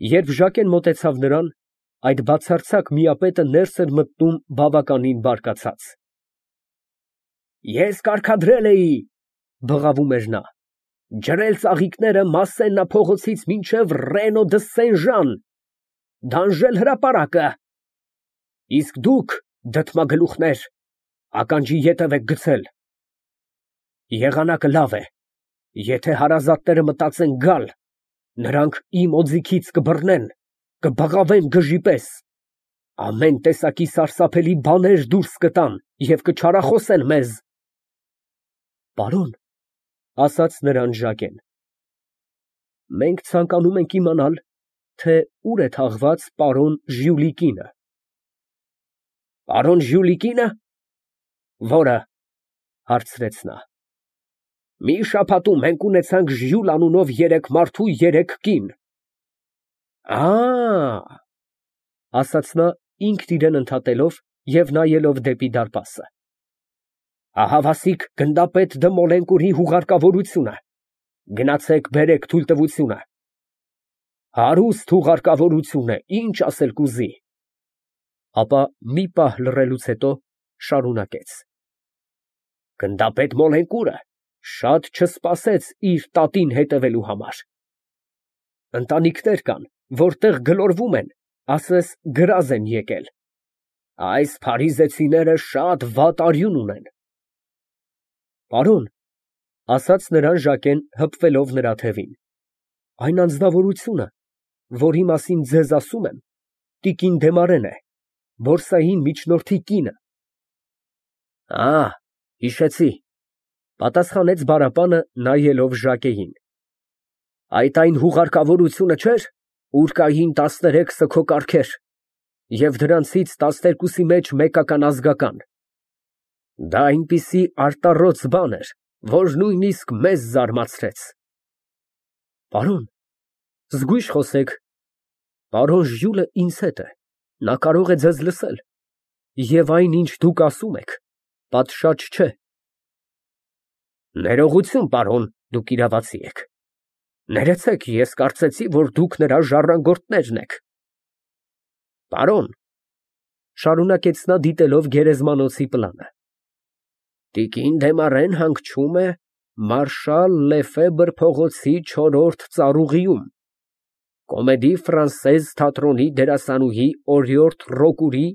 Երբ Ժակեն մոտեցավ նրան, այդ բացարձակ միապետը ներս էր մտնում բավականին բարկացած։ Ես կարգադրել էի, բղավում էր նա, ջրել ծաղիկները Մասսենա փողոցից մինչև Ռենո դը Սեն֊Ժան, դանժել հրապարակը, իսկ դուք, դդմագլուխներ, ականջի ետև եք գցել։ Եղանակը լավ է, եթե հարազատները մտածեն գալ, նրանք իմ օձիքից կբռնեն, կբղավեն գժի պես, ամեն տեսակի սարսափելի բաներ դուրս կտան և կչարախոսեն մեզ։ Պարոն, ասաց նրան Ժակեն, մենք ցանկանում ենք իմանալ, թե ուր է թաղված պարոն Ժյուլի կինը։ Պարոն Ժյուլի կինը։ Որը, հարցրեց նա։ Մի շաբաթում մենք ունեցանք Ժյուլ անունով 3 մարդու 3 կին։ Ասաց նա ինքն իրեն ընդհատելով և նայելով դեպի դարպասը։ Ահավասիկ գնդապետ դը Մոլենկուրի հուղարկավորությունը, գնացեք բերեք թույլտվությունը։ Հարուստ հուղարկավորություն է, ինչ ասել կուզի։ Ապա մի պահ լռելուց հետո շարունակեց. Գնդապետ Մոլենկուրը շատ չսպասեց իր տատին հետևելու համար։ Ընտանիքներ կան, որտեղ գլորվում են, ասես գրազ են եկել։ Այս փարիզեցիները շատ վատ արյուն ունեն։ Պարոն, ասաց նրան Ժակեն հպվելով նրա թևին, այն անձնավորությունը, որի մասին ձեզ ասում եմ, տիկին Դեմարեն է, բորսային միջնորդի կինը։ Հիշեցի, պատասխանեց բարապանը նայելով Ժակեին։ Այդ այն հուղարկավորությունը չէր, ուր կային 13 սգո կառքեր և դրանցից 12-ի մեջ մեկական ազգական։ Դա այնպիսի արտառոց բան էր, որ նույնիսկ մեզ զարմացրեց։ Պարոն, զգույշ խոսեք, պարոն Ժյուլը ինձ հետ է, նա կարող է ձեզ լսել, և այն, ինչ դուք ասում եք, պատշաճ չէ։ Ներողություն, պարոն, դուք իրավացի եք։ Ներեցեք, ես կարծեցի, որ դուք նրա ժառանգորդներն եք։ Պարոն, շարունակեց նա դիտելով գերեզմանոցի պլանը, տիկին Դեմարեն հանգչում է մարշալ Լեֆեբր փողոցի 4-րդ ծառուղիում, Կոմեդի Ֆրանսեզ թատրոնի դերասանուհի օրիորդ Ռոկուրի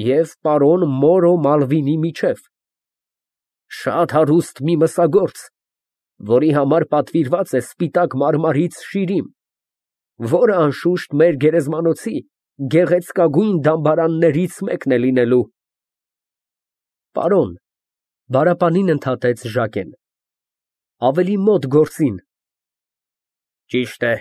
և պարոն Մորո Մալվինի միջև։ Շատ հարուստ մի մսագործ, որի համար պատվիրված է սպիտակ մարմարից շիրիմ, որը անշուշտ մեր գերեզմանոցի գեղեցկագույն դամբարաններից մեկն է լինելու։ Պարոն, բարապանին ընդհատեց Ժակեն, ավելի մոտ գործին։ Ճիշտ է,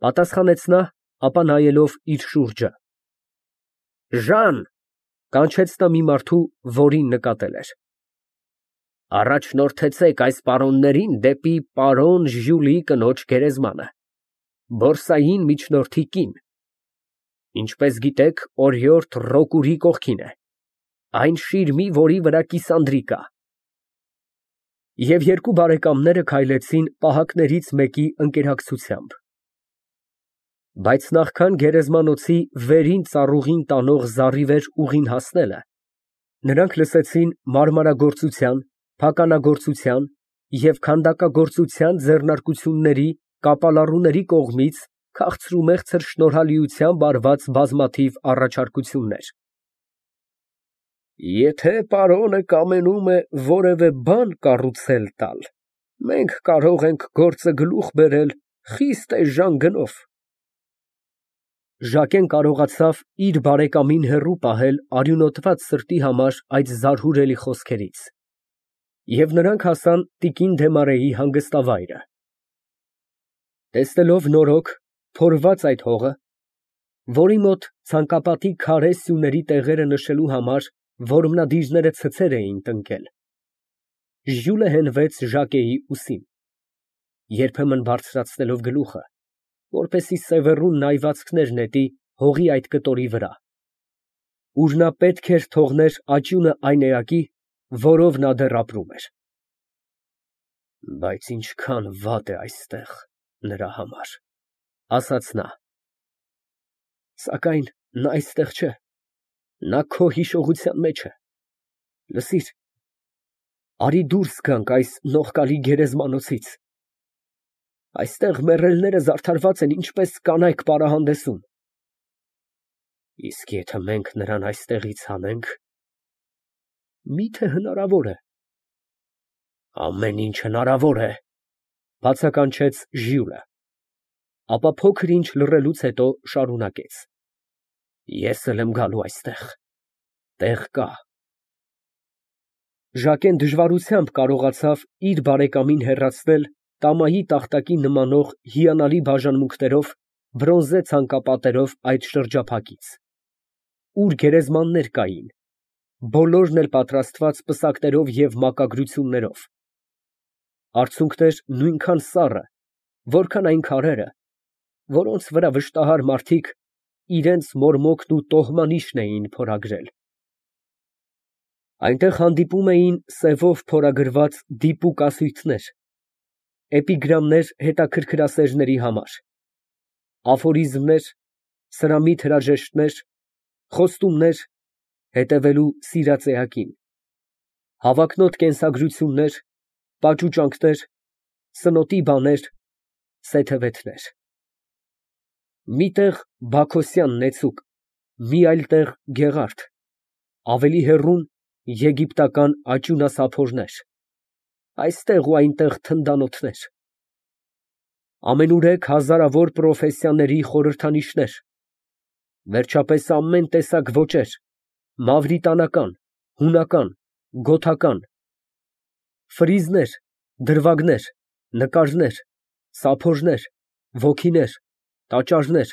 պատասխանեց նա, ապա նայելով իր շուրջը։ Ժան, կանչեց նա մի մարդու, որին նկատել էր։ Առաջնորդեցեք այս պարոններին դեպի պարոն Ժյուլի կնոջ գերեզմանը, բորսային միջնորդի կին, ինչպես գիտեք, օրիորդ Ռոկուրի կողքին է, այն շիրմի, որի վրա կիսանդրի կա։ Եվ երկու բարեկամները քայլեցին պահակներից մեկի ընկերակցությամբ։ Բայց նախքան գերեզմանոցի վերին ծառուղին տանող զառիվեր ուղին հասնելը, նրանք լսեցին մարմարագործության, փականագործության և քանդակագործության ձեռնարկությունների կապալառուների կողմից քաղցրումեղցր շնորհալիությամբ արված բազմաթիվ առաջարկություններ։ Եթե պարոնը կամենում է որևէ բան կառուցել տալ, մենք կարող ենք գործը գլուխ բերել խիստ էժան գնով։ Ժակեն կարողացավ իր բարեկամին հեռու պահել արյունոտված սրտի համար այդ զարհուրելի խոսքերից, և նրանք հասան տիկին Դեմարեի հանգստավայրը։ Տեսնելով նորոք փորված այդ հողը, որի մոտ ցանկապատի քարե սյուների տեղերը նշելու համար որմնադիրները ցցեր էին տնկել, Ժյուլը հենվեց Ժակեի ուսին, երբեմն բարձրացնելով գլուխը, որպեսզի սևեռուն նայվածքներ նետի հողի այդ կտորի վրա, ուր նա պետք էր թողներ աճյունը այն էակի, որով նա դեռ ապրում էր։ Բայց ինչքան վատ է այստեղ նրա համար, ասաց նա։ Սակայն նա այստեղ չէ, նա քո հիշողության մեջ է։ Լսիր, արի դուրս գանք այս նողկալի գերեզմանոցից։ Այստեղ մեռելները զարդարված են ինչպես կանայք պարահանդեսում։ Իսկ եթե մենք նրան այստեղից հանենք, մի՞թե հնարավոր է։ Ամեն ինչ հնարավոր է, բացականչեց Ժյուլը, ապա փոքր ինչ լռելուց հետո շարունակեց. Ես էլ եմ գալու այստեղ, տեղ կա։ Ժակեն դժվարությամբ կարողացավ իր բարեկամին հեռացնել տամայի տախտակի նմանող հիանալի բաժանմունքներով, բրոնզե ցանկապատերով այդ շրջափակից, ուր գերեզմաններ կային, բոլորն էլ պատրաստված պսակներով և մակագրություններով, արցունքներ նույնքան սառը, որքան այն քարերը, որոնց վրա վշտահար մարդիկ իրենց մորմոքն ու տոհմանիշն էին փորագրել։ Այնտեղ հանդիպում էին սևով փորագրված դիպուկ ասույթներ, էպիգրամներ հետաքրքրասերների համար, աֆորիզմներ, սրամիտ հրաժեշտներ, խոստումներ հետևելու սիրածեակին, հավակնոտ կենսագրություններ, պաճուճանքներ, սնոտի բաներ, սեթևեթներ։ Մի տեղ Բաքոսյան նեցուկ, մի այլ տեղ Գեղարդ, ավելի հեռուն եգիպտական աճյունասափորներ, այստեղ ու այնտեղ թնդանոթներ, ամենուրեք հազարավոր պրոֆեսիաների խորհրդանիշներ, վերջապես ամեն տեսակ ոճեր, մավրիտանական, հունական, գոթական, ֆրիզներ, դրվագներ, նկարներ, սափորներ, ոգիներ, տաճարներ,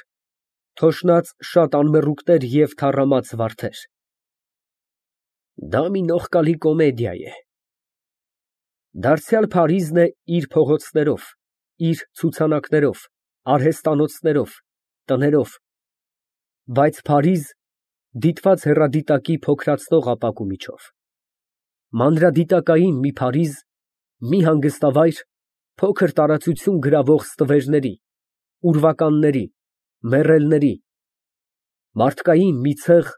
թոշնած շատ անմեռուկներ և թառամած վարդեր։ Դա մի նողկալի կոմեդիա է։ Դարձյալ Փարիզն է իր փողոցներով, իր ցուցանակներով, արհեստանոցներով, տներով, բայց Փարիզ դիտված հեռադիտակի փոքրացնող ապակու միջով, մանրադիտակային մի Փարիզ, մի հանգստավայր, փոքր տարածություն գրավող ստվերների, ուրվականների, մեռելների, մարդկային մի ցեղ,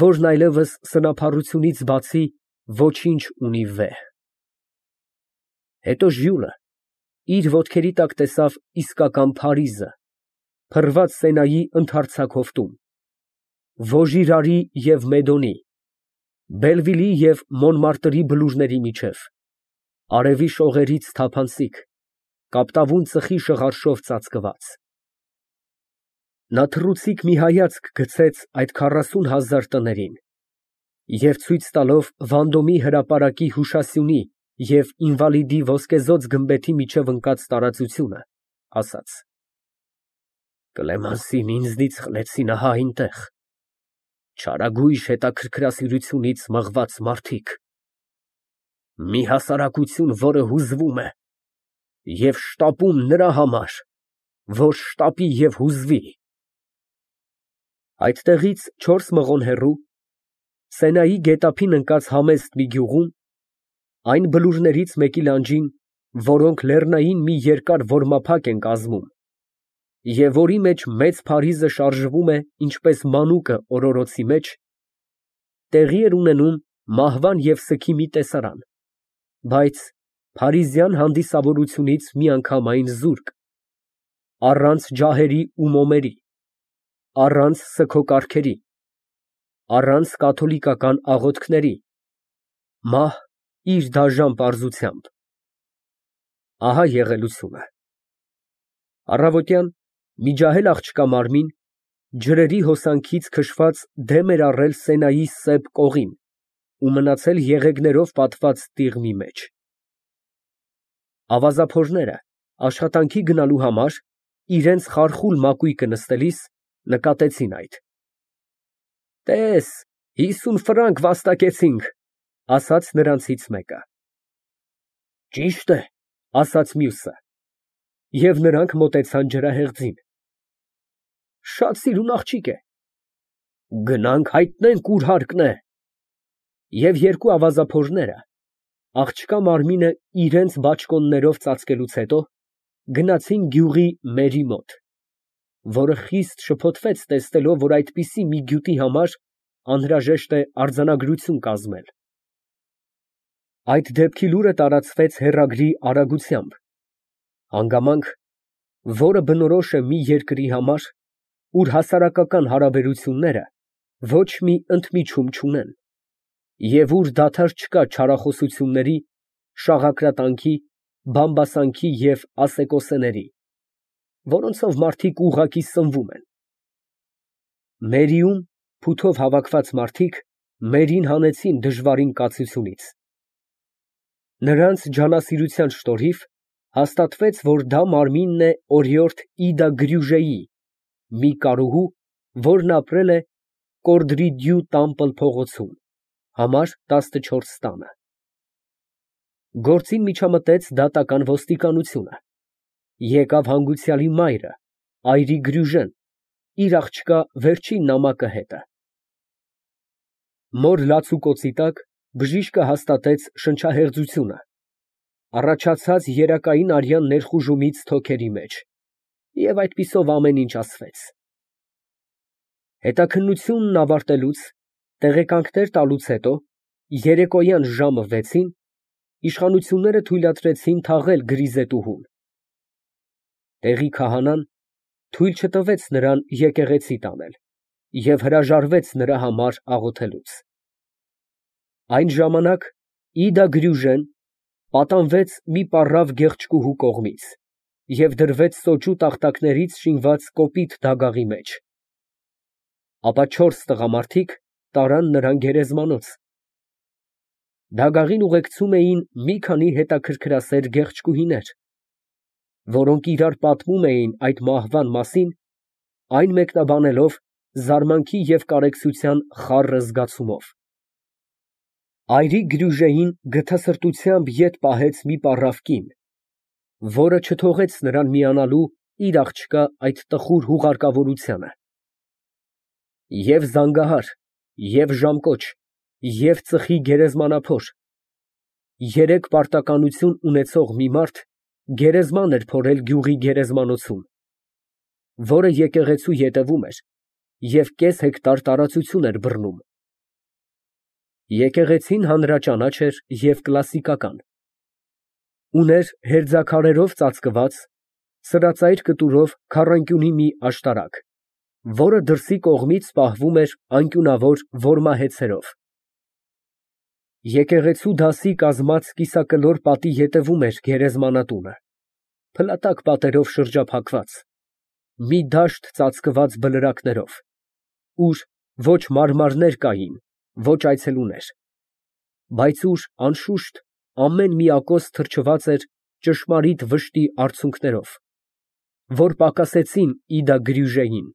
որն այլևս սնափառությունից բացի ոչինչ ունի վեհ։ Հետո Ժյուլը իր ոտքերի տակ տեսավ իսկական Փարիզը, փռված Սենայի ընդարձակ հովտում, Վոժիրարի և Մեդոնի, Բելվիլի և Մոնմարտրի բլուրների միջև, արևի շողերից թափանցիկ, կապտավուն ծխի շղարշով ծածկված։ Նա թռուցիկ մի հայացք գցեց այդ 40,000 տներին և ցույց տալով Վանդոմի հրապարակի հուշասյունի և ինվալիդի ոսկեզօծ գմբեթի միջև ընկած տարածությունը, ասաց. Կլեմանսին ինձնից խլեցին ահա այնտեղ, չարագույժ հետաքրքրասիրությունից մղված մարդիկ, մի հասարակություն, որը հուզվում է և շտապում նրա համար, որ շտապի և հուզվի։ Այդտեղից 4 մղոն հեռու, Սենայի գետափին ընկած համեստ մի գյուղում, այն բլուրներից մեկի լանջին, որոնք լեռնային մի երկար որմափակ են կազմում, և որի մեջ մեծ Փարիզը շարժվում է ինչպես մանուկը օրորոցի մեջ, տեղի էր ունենում մահվան և սգի մի տեսարան, բայց փարիզյան հանդիսավորությունից միանգամայն զուրկ, առանց ջահերի ու մոմերի, առանց սգո֊կառքերի, առանց կաթոլիկական աղոթքների, մահ իր դաժան պարզությամբ։ Ահա եղելությունը։ Առավոտյան մի ջահել աղջկա մարմին, ջրերի հոսանքից քշված դեմ էր առել Սենայի սև կողին ու մնացել եղեգներով պատված տիղմի մեջ։ Ավազափորները աշխատանքի գնալու համար իրենց խարխուլ մակույկը նստելիս նկատեցին այդ։ Տես, 50 ֆրանկ վաստակեցինք, ասաց նրանցից մեկը։ Ճիշտ է, ասաց մյուսը, և նրանք մոտեցան ջրահեղձին։ Շատ սիրուն աղջիկ է։ Գնանք հայտնենք ուր հարկն է։ Եվ երկու ավազափորները, աղջկա մարմինը իրենց բաճկոններով ծածկելուց հետո, գնացին գյուղի մերի մոտ։ որը խիստ շփոթվեց տեսնելով, որ այդպիսի մի գյուտի համար անհրաժեշտ է արձանագրություն կազմել։ Այդ դեպքի լուրը տարածվեց հեռագրի արագությամբ, հանգամանք, որը բնորոշ է մի երկրի համար, ուր հասարակական հարաբերությունները ոչ մի ընդմիջում չունեն, և ուր դադար չկա չարախոսությունների, շաղակրատանքի, բամբասանքի և ասեկոսեների, որոնցով մարդիկ ուղղակի սնվում են։ Մերիում փութով հավաքված մարդիկ մերին հանեցին դժվարին կացությունից։ Նրանց ջանասիրության շնորհիվ հաստատվեց, որ դա մարմինն է օրիորդ Իդա Գրյուժեի, մի կարուհու, որն ապրել է Կորդրիդյու Տամպլ փողոցում, համար 14 տանը։ Գործին միջամտեց դատական ոստիկանությունը։ Եկավ հանգուցյալի մայրը, այրի Գրյուժեն, իր աղջկա վերջին նամակը հետը։ Մոր լացուկոցի տակ բժիշկը հաստատեց շնչահեղձությունը, առաջացած երակային արյան ներխուժումից թոքերի մեջ, և այդպիսով ամեն ինչ ասվեց։ Հետաքննությունն ավարտելուց, տեղեկանքներ տալուց հետո, երեկոյան ժամը 6-ին իշխանությունները թույլատրեցին թաղել գրիզետուհուն։ Տեղի քահանան թույլ չտվեց նրան եկեղեցի տանել և հրաժարվեց նրա համար աղոթելուց։ Այն ժամանակ Իդա Գրյուժեն պատանվեց մի պառավ գեղեցկուհու կողմից և դրվեց սոճու տախտակներից շինված կոպիտ դագաղի մեջ։ Ապա 4 տղամարդիկ տարան նրան գերեզմանոց։ Դագաղին ուղեկցում էին մի քանի հետաքրքրասեր գեղեցկուհիներ, որոնք իրար պատմում էին այդ մահվան մասին, այն մեկնաբանելով զարմանքի և կարեկցության խառը զգացումով։ Այրի Գրյուժեին գթասրտությամբ ետ պահեց մի պառավ կին, որը չթողեց նրան միանալու իր աղջկա այդ տխուր հուղարկավորությանը։ Եվ զանգահար, և ժամկոչ, և ծխի գերեզմանափոր, 3 պարտականություն ունեցող մի մարդ գերեզման էր փորել գյուղի գերեզմանոցում, որը եկեղեցու ետևում էր և կես հեկտար տարածություն էր բռնում։ Եկեղեցին հանրաճանաչ էր և կլասիկական, ուներ հերձաքարերով ծածկված, սրածայր կտուրով քառանկյունի մի աշտարակ, որը դրսի կողմից պահվում էր անկյունավոր որմահեծերով։ Եկեղեցու դասի կազմած կիսակլոր պատի ետևում էր գերեզմանատունը, փլատակ պատերով շրջափակված, մի դաշտ ծածկված բլրակներով, ուր ոչ մարմարներ կային, ոչ այցելուներ, բայց ուր, անշուշտ, ամեն մի ակոս թրջված էր ճշմարիտ վշտի արցունքներով, որ պակասեցին Իդա Գրյուժեին։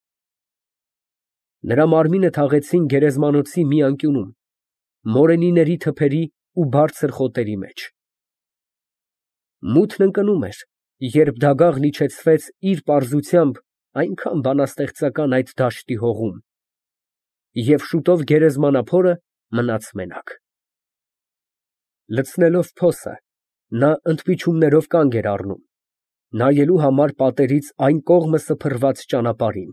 Նրա մարմինը թաղեցին գերեզմանոցի մի անկյունում, մորենիների թփերի ու բարձր խոտերի մեջ։ Մութն ընկնում էր, երբ դագաղն իջեցվեց իր պարզությամբ այնքան բանաստեղծական այդ դաշտի հողում, և շուտով գերեզմանափորը մնաց մենակ։ Լցնելով փոսը, նա ընդմիջումներով կանգ էր առնում, նայելու համար պատերից այն կողմը սփռված ճանապարհին։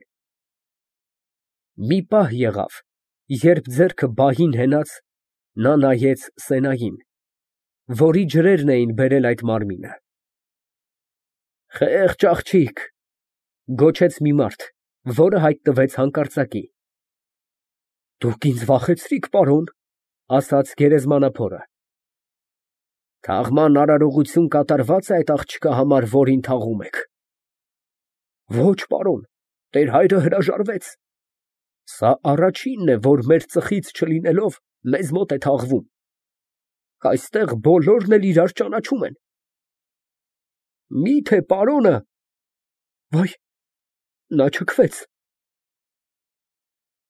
Մի պահ եղավ, երբ ձեռքը բահին հենած, նա նայեց Սենային, որի ջրերն էին բերել այդ մարմինը։ «Խեղճ աղջիկ», ֊ գոչեց մի մարդ, որը հայտնվեց հանկարծակի։ «Դուք ինձ վախեցրիք, պարոն», ֊ ասաց գերեզմանափորը։ «Թաղման արարողություն կատարվա՞ծ է այդ աղջկա համար, որին թաղում եք»։ «Ոչ, պարոն, տեր հայրը հրաժարվեց։ Սա առաջինն է, որ մեր ծխից չլինելով, մեզ մոտ է թաղվում։ Այստեղ բոլորն էլ իրար ճանաչում են»։ «Մի՞թե պարոնը»։ «Վայ, նա չքվեց»։